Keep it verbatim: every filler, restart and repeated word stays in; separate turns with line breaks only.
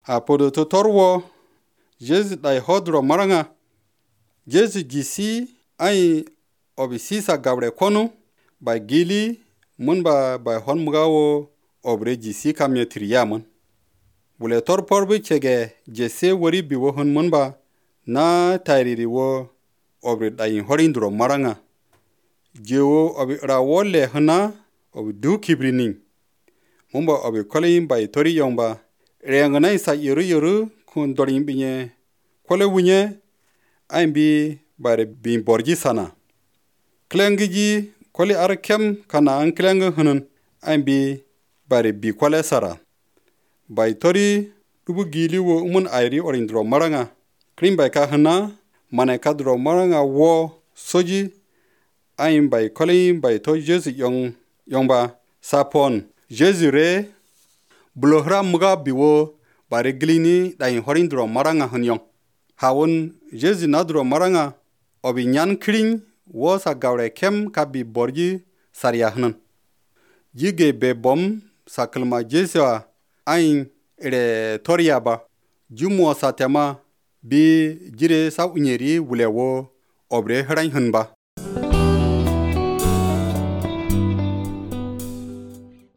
A podo to torwo Jesu dai hodro maranga. Jesu gisi ai obi sisa gabre konu ba gili mun ba ba hon mugawo obre gisi kamye triyamun. Bule tor porbi chege jese wari bi wo hon mun ba na tairiri wo obre dai horindro maranga. Jewo obi rawole hana obi du kibrinin. Mumba obi koleyin bai tori yomba. Reyangana isa yoru yoru kun dorin binye. Kole wunye aimbi bare bin borgi sana. Klengiji kole arkem kana an kleng hunun aimbi bare bi kole sara. Bai tori dubu gili wo umun airi orindro maranga. Krim bai ka hana mane kadro maranga wo soji aim bai kole bai to Jesu yong yongba sapon. Jesu re bulohra muga biwo bare glini dai horindro maranga hunyong. Hawun Jesu nadro maranga obi nyan kring wo sa gawre kem kabi borgi sarya hunun. Jige be bom sakalma Jesu ain ere toria ba. Jumo sa tema bi jire sa unyeri wulewo obre hrain hunba.